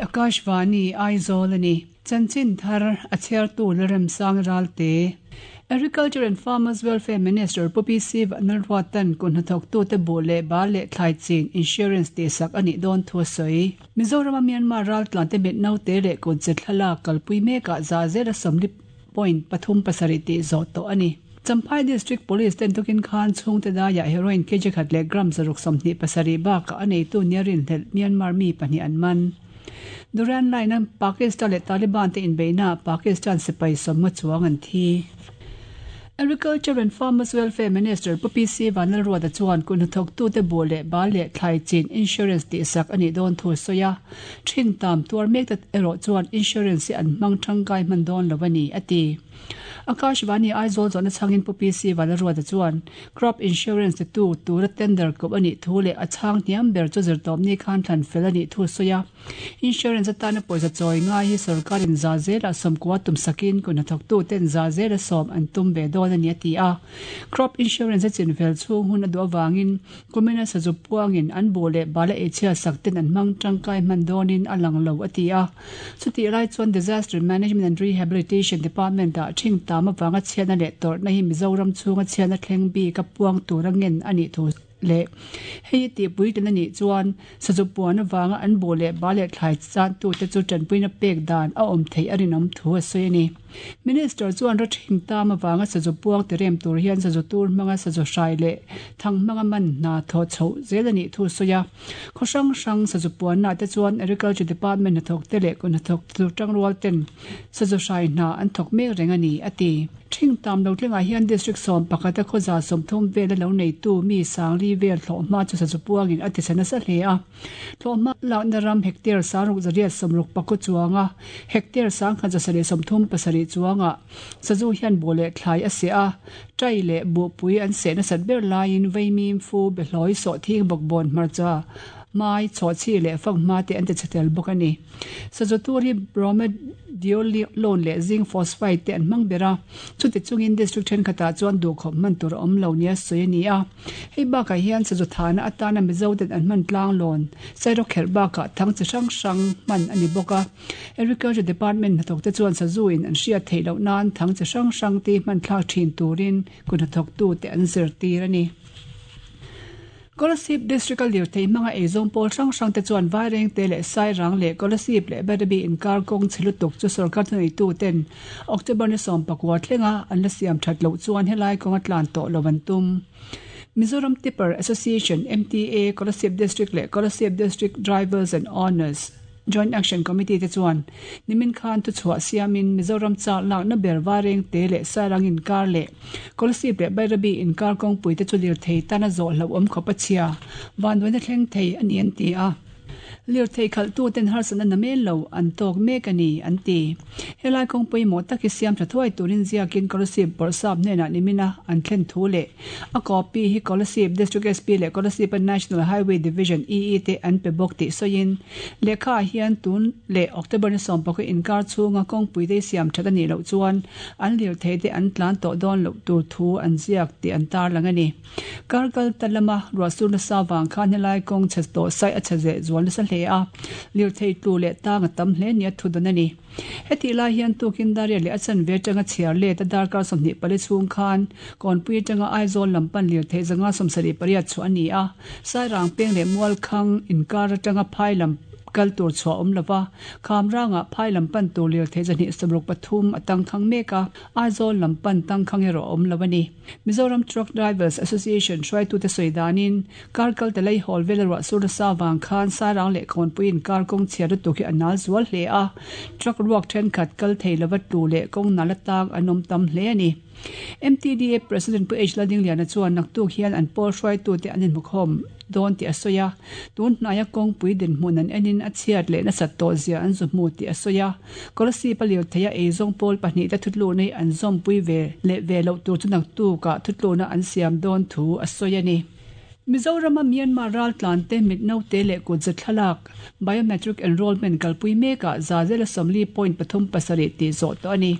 Akashvani Aizawl a ni. Chanchin thar a chhiartu Lalremsang Ralte. Agriculture and Farmers Welfare Minister Pu PC Vanlalruatan kut hnathawktute buh leh bal leh thlai chin insurance tihsak a nih dawn thu a sawi. Mizorama Myanmar raltlante mit naute leh kut ze thlalak kalpui mekah za zela 40 point 37 tih zawh tawh a ni. Champhai District Police ten tukin khan chhungte daiah heroin kg khat leh gram 127 bakah a neitu nia rinhlelh Myanmar mi pahnih an man. Duran Line-a Pakistan leh Taliban te inbeihnaah Pakistan sipai sawmnga chuang an thi. Agriculture and Farmers Welfare Minister Pu PC Vanlalruata chuan kut hnathawktute buh leh bal leh thlai chin insurance tihsak a nih dawn thu a sawi a. Ṭhing tam tuar mek ta erawh chuan insurance hi an hmang ṭangkai hman dawn lo a ni, a ti. Akashvani Aizawl zawhna chhangin Pu PC Vanlalruata chuan Crop Insurance titu tura tender kawp a nih thu leh a chhang hniam ber chu zirtawpni khan thlan fel a nih thu a sawi a. Insurance atana pawisa chawi ngai hi sorkarin za zelah sawmkua tum sakin kut hnathawktuten za zela sawm an tum ve dawn a ni a ti a. Crop Insurance a chinfel chhung hun a duh avangin kumina sazu puangin an buh leh bala eichhia sak ten an hmang tangkai hman dawnin a lang lo a ti a. Chutih lai chuan Disaster Management and Rehabilitation Department ah thing tam avanga chhiatna leh tawrhna hi Mizoram chhunga chhiatna thleng bik a puang tura ngen a nih thu leh hei hi tihpuitlin a nih chuan sazu puan avanga an buh leh bal leh thlai chantute chu tanpuina pek dan a awm theih a rinawm thu a sawi a ni. Minister chuan rawthing tam avanga sazu puang ti rem tur hian sazu tur hmanga sazu hrai leh thang hmanga man hna thawh chhoh zel a nih thu a sawi a. Khaw hrang hrang sazu puanna te chuan Agriculture Department hnathawk te leh kut hnathawk tur tangrual ten sazu hrai hna an thawk mek reng a ni, a ti. Thing tam lo tlengah hian District 11 a khawza 30 vela lo neitu mi sangli vel thlawhhma chu sazu puangin a tisa nasa hle a. Thlawhhma lakna ram hectare 6869 chuanga hectare 1137 chuangah sazu hian buh leh thlai a seh a, tai leh buhpui an seh nasat ber laiin vaimim fu behlawi sawhthing bawkbawn hmarcha mai chhawhchhi leh fanghma te an ti chhe tel bawk a ni. Sazu tur hi bromadiolone leh zinc phosphide te an hmang ber a, chuti chungin district thenkhatah chuan duhkhawp hman tur a awm lo nia sawi a ni a. Hei bakah hian sazu thahna atana Mizo ten an hman tlanglawn sairawkherh bakah thang chi hrang hrang hman a ni bawk a. Agriculture Department hnathawkte chuan sazu in an hriat theih loh nan thang chi hrang hrang te hman thlak thin turin kut hnathawktute an zirtir a ni. Kolasib District a lirthei hmanga eizawng pawl hrang hrang te chuan Vairengte leh Sairang leh Kolasib leh Badabi inkar kawng chhe lutuk chu sorkar thuneitu ten October ni 19 thlenga an la siam that loh chuan helai kawnga tlan tawh lo an tum. Mizoram Tipper Association, MTA, Kolasib District leh Kolasib District Drivers and Owners Joint Action Committee te chuan nimin khan thuchhuah siamin Mizoram chak lakna ber Vairengte leh Sairang inkar leh Kolasib leh Bairabi inkar kawngpui te chu lirthei tana zawh hlauhawm khawp a chhia vanduaina thleng thei a ni an ti a. Lirthei khalhtu ten harsatna na mel lo an tawk mek a ni an ti. Helai kawngpui mawh tak hi siam tha thuai turin ziakin Kolasib bawrhsap hnenah nimina an thlen thu leh A copy hi Kolasib District SP leh Kolasib-a National Highway Division EE te an pe bawk tih sawiin, lehkha ah hian tun leh October ni 16 inkar chhunga kawngpui te siam that a nih loh chuan an lirthei te an tlan tawh dawn loh tur thu an ziak tih an tarlang a ni. Kar kal ta lama ruahsur nasa vang khan helai kawng chhe tawh sai a chhe zeh zual nasa hle a, lirthei tlu leh tang a tam hle nia thu dawn a ni. Hetih lai hian tukin Daria leh a chanve atanga chhiar let a darkar 24 chhung khan Kawnpui atanga Aizawl lam pan lirthei 178 chhuah a ni a, Sairang peng leh Mualkhang inkar atanga phai lam kal tur chhuah awm lova, Khamrangah phai lam pan tur lirthei 163 a tangkhang mek a, Aizawl lam pan tangkhang erawh a awm lo a ni. Mizoram Truck Drivers Association hruaitute sawi danin, kar kal ta lei hawl vela ruah sur nasa avang khan Sairang leh Kawnpuiin kar kawng chhiar lutuk hi a nal zual hle a, truck ruak thenkhat kal thei lova tlu leh kawng nal atang an awm tam hle a ni. MTDA President Pu H Laldingliana chuan naktuk hian an pawl hruaitute an inhmukhawm dawn tih a sawi a, tun hnaia kawngpui dinhmun an enin a chhiat leh nasat tawh zia an zu hmu tih a sawi a. Kolasib a lirtheia eizawng pawl pahnih te thutlukna hi an zawmpui ve leh ve loh tur chu naktukah thutlukna an siam dawn thu a sawi a ni. Mizorama Myanmar raltlante mit naute leh kutza thlalak, biometric enrollment kalpui mekah za zela 40.37 tih zawh tawh a ni.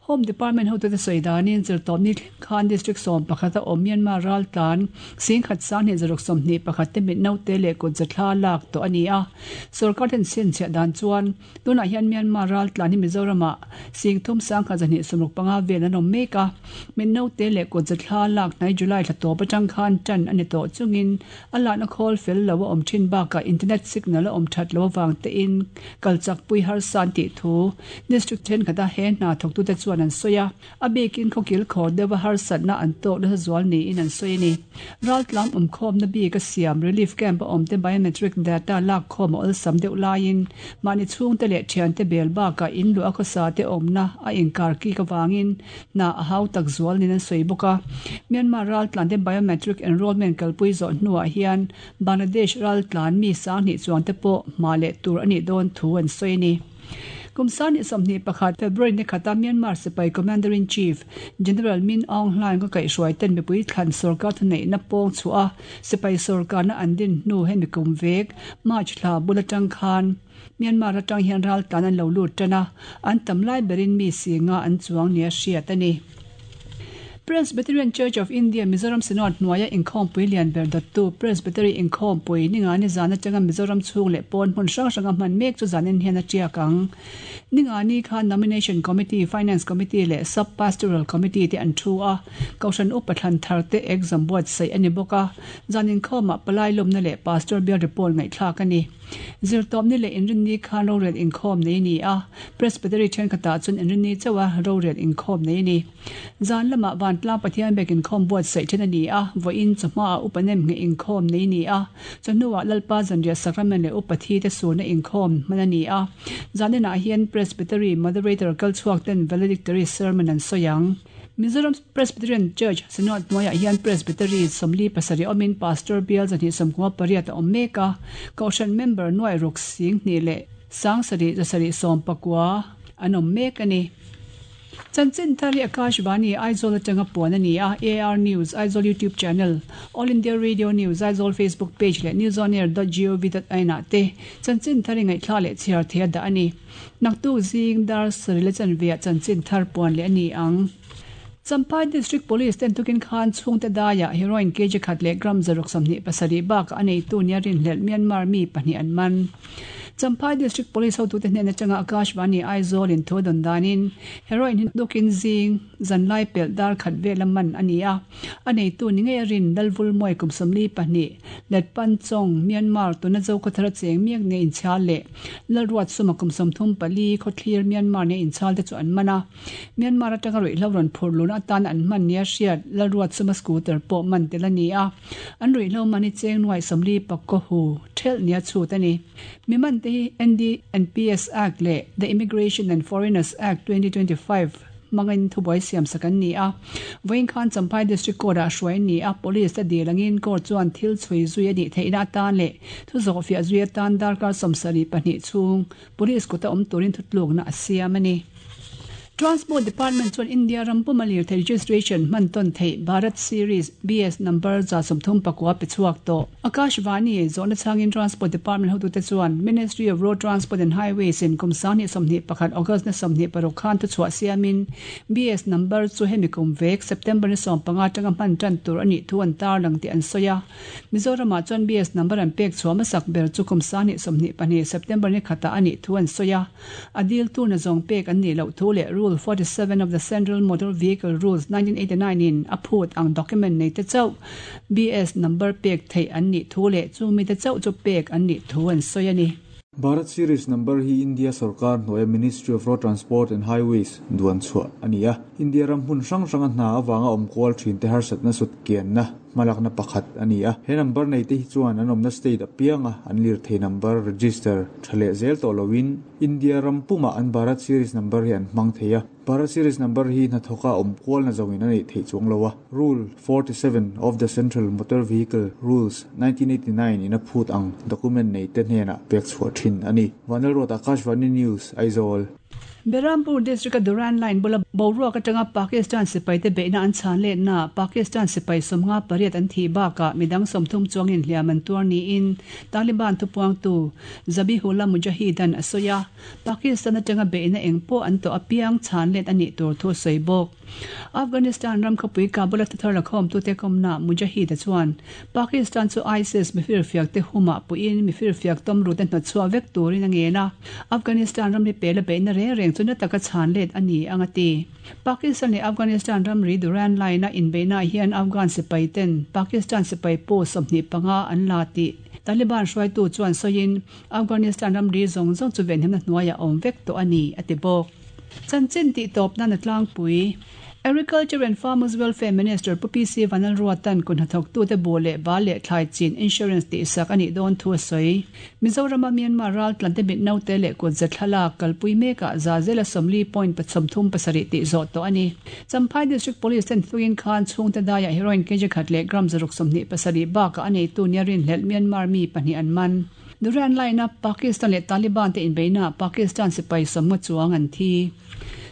Home Department hotute sawi danin Zirtawpni thleng khan District 11 a awm Myanmar raltlan 10,000 21 te mit naute leh kut zathla lak tawh a ni a. Sorkar ten chhinchhiah dan chuan tunah hian Myanmar raltlan hi Mizoramah 3,165 vel an awm mek a. Mit naute leh kut zathla lak hnai July thla tawp atang khan tan a ni tawh chungin a lakna khawl fel lo a awm thin bakah internet signal a awm that lo avang tein kal chak pui harsa an tih thu district thenkhat a he hna thawktute chuan an sawi a. A bikin khawkil khawr deuha harsatna an tawk nasa zual niin an sawi a ni. Raltlam awmkhawmna bik a siam relief camp a awmte biometric data lakkhawm a awlsam deuh laiin mahni chhungte leh thiante bel bakah in luah a khawsa te awmna a inkar kik avangin hna a hau tak zual niin an sawi bawk a. Myanmar raltlante biometric enrollment kalpui zawh hnuah hian Bangladesh raltlan mi 2000 chuangte pawh hma leh tur a nih dawn thu an sawi a ni. Kum 2021 February ni khata Myanmar sipai Commander-in-Chief General Min Aung Hlaing ka kaihhruai ten mipui thlan sorkar thuneihna pawng chhuah a sipai sorkarna an din hnu hemi kum vek March thla bul atang khan Myanmar atang hian raltlan an lo lut tan a, an tam lai berin mi singa an chuang nia hriat a ni. Presbyterian Church of India Mizoram Synod hnuaia inkhawmpui lian ber dawttu Presbytery inkhawmpui Ningani zan atanga Mizoram chhung leh pawn hmun hrang hranga hman mek chu zanin hian a tiak ang. Ningani khan Nomination Committee, Finance Committee leh Sub Pastoral Committee te an thu a, Kohhran upa thlan thar te exam buatsaih a ni bawk a, zan inkhawmah palai lawmna leh Pastor bial report ngaihthlak a ni. Zirtawpni leh inrinni khan rorel inkhawm nei a ni a, Presbytery thenkhatah chuan inrinni chauha rorel inkhawm nei a ni. Zan lamah Vantlang Pathian biak inkhawm buatsaih then a ni a, vawiin chawhmaah upa nem ngheh inkhawm nei a ni a, chawhnuah Lalpa Zanriah Sacrament leh upa thi te surna inkhawm hman a ni a. Zan inah hian Presbytery Moderator kal chhuak ten Valedictory Sermon an sawi ang. Mizoram Presbyterian Church Synod hnuaiah hian Presbytery 47 awmin Pastor bial 298 a awm mek a, Kohhran member nuai ruk 2000 leh 7719 an awm mek a ni. Chanchin thar hi Akashvani Aizawl atanga puan a ni a, AR News Aizawl YouTube channel, All India Radio News Aizawl Facebook page leh newsonair.gov.in ah te chanchin thar hi ngaihthla leh chhiar thei a dah a ni. Naktuk zing dar sarih la chanve ah chanchin thar puan leh a ni ang. Champhai District Police ten tukin khan chhungte daiah heroin kg khat leh gram 127 bakah a neitu nia rinhlelh Myanmar mi pahnih an man. Champhai District Police hotute hnen atanga Akashvani Aizawl in thu a dawn danin heroin hi tukin zing zanlai pelh dar khat vela man a ni a, a neitu ni ngei a rin Lalvulmawi kum 42 Letpan Chong, Myanmar tuna Zokhawthar a cheng miak nia inchhal leh Lalruat Suma kum 34 Khawthlir Myanmar nia inchhal te chu an man a. Myanmar atanga ruihhlo rawn phur luna atan an hman nia hriat Lalruat Suma scooter pawh man tel a ni a. An ruihhlo man hi cheng nuai 40 pakkaw hu thelh nia chhut a ni. Mi man te hi NDNPS Act leh The Immigration and Foreigners Act 2025 hmangin thubuai siam sak an ni a. Vawiin khan Champhai District Court ah hruai an ni a, Police te dil angin Court chuan thil chhui zui a nih theihna atan leh thu zawhfiah zui atan darkar 72 chhung Police kuta awm turin thutlukna a siam a ni. Transport Department chuan India ram puma lirthei registration hman tawn theih Bharat Series, BS, number 139 pe chhuak tawh. Akashvani zawhna chhangin Transport Department hotute chuan Ministry of Road Transport and Highways in kum 2021 August ni 26 khan thuchhuah siamin BS number chu hemi kum vek September ni 15 atanga hman tan tur a nih thu an tarlang tih an sawi a. Mizoramah chuan BS number an pek chhuah hmasak ber chu kum 2022 September ni khatah a nih thu an sawi a. A dil tur na zawng pek an nih loh thu leh Rule 47 of the Central Motor Vehicle Rules 1989 in a phut ang document nei te chauh BS number pek theih an nih thu leh chu mi te chauh chu pek an nih thu an sawi a ni. Bharat Series number hi India sorkar hnuaia Ministry of Road Transport and Highways duan chhuah a ni a. India ram hmun hrang hranga hna avanga awm kual thin te harsatna sut kianna hmalakna pakhat a ni a. He number nei te hi chuan an awmna state apianga an lirthei number register tha leh zel tawh loin India ram pumah an Bharat Series number hi an hmang thei a. Bharat Series number hi hnathawka awm kualna zawngin a neih theih chuang lo a. Rule 47 of the Central Motor Vehicle Rules 1989 in a phut ang document nei te hnenah pek chhuah thin a ni. Vanlalruat Akashvani News, Aizawl. Berhampur District-a Durand Line bula boruak atanga Pakistan sipaite beihna an chhan letnaah Pakistan sipai 58 an thih bakah midang 30 chuangin hliam an tuar niin Taliban thupuangtu Zabihullah Mujahid-a'n a sawi a, Pakistan atanga beihna eng pawh an tawh apiang chhan let a nih tur thu a sawi bawk. Afghanistan ram khawpui Kabul-a thuthar lakhawmtute kawmnaah Mujahid-a chuan Pakistan chu ISIS mifirfiakte humah puiin mifirfiak tawmrute hnawtchhuah vek turin a ngen a, Afghanistan ramri pela beihna reng reng chu na taka chhan let a ni ang a ti. Pakistan leh Afghanistan ramri Durand Line-a inbeihnaah hian Afghan sipai ten Pakistan sipai post 25 an la tih Taliban hruaitu chuan sawiin Afghanistan ramri zawng zawng chu venhimna hnuaiah a awm vek tawh a ni a ti bawk. Chanchin tih tawp nan a tlangpui. Agriculture and Farmers Welfare Minister Pu PC Vanlalruata'n kut hnathawktute buh leh bal leh thlai chin insurance tihsak a nih dawn thu a sawi. Mizorama Myanmar raltlante mit naute leh kut za thlalak kalpui mekah za zela 40 point 37 tih zawh tawh a ni. Champhai District Police ten thuin khan chhungte daiah heroin kg khat leh gram 127 bakah a neitu nia rinhlelh Myanmar mi pahnih an man. Duran line-a Pakistan leh Taliban te inbeihnaah Pakistan sipai 50 chuang an thi.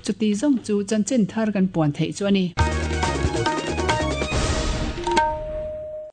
Chuti zawng chu chanchin thar kan puan theih chu a ni.